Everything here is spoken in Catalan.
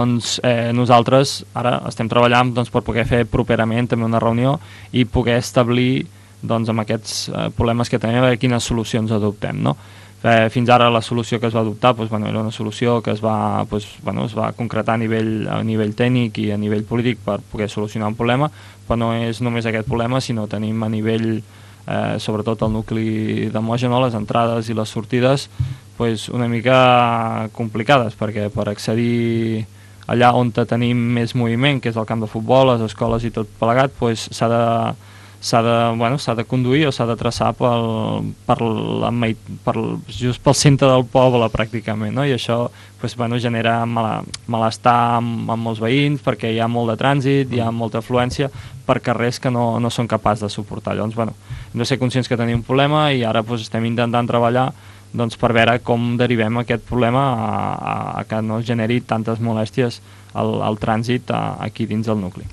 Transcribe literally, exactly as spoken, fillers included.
Doncs eh, nosaltres ara estem treballant doncs, per poder fer properament també una reunió i poder establir doncs, amb aquests eh, problemes que tenim, quines solucions adoptem, no? Eh, fins ara la solució que es va adoptar doncs, bueno, era una solució que es va, doncs, bueno, es va concretar a nivell, a nivell tècnic i a nivell polític per poder solucionar un problema, però no és només aquest problema, sinó tenim a nivell, eh, sobretot el nucli de Mója, no? Les entrades i les sortides doncs, una mica complicades, perquè per accedir allà on tenim més moviment, que és el camp de futbol, les escoles i tot plegat, doncs s'ha de, s'ha de, bueno, s'ha de conduir o s'ha de traçar pel, per la, per, just pel centre del poble pràcticament, no? I això doncs, bueno, genera mal, malestar amb, amb molts veïns perquè hi ha molt de trànsit, hi ha molta afluència per carrers que no, no són capaços de suportar. Llavors, bueno, hem de ser conscients que tenim un problema i ara doncs, estem intentant treballar doncs, per veure com derivem aquest problema a, a, a que no generi tantes molèsties al, al trànsit a, aquí dins del nucli.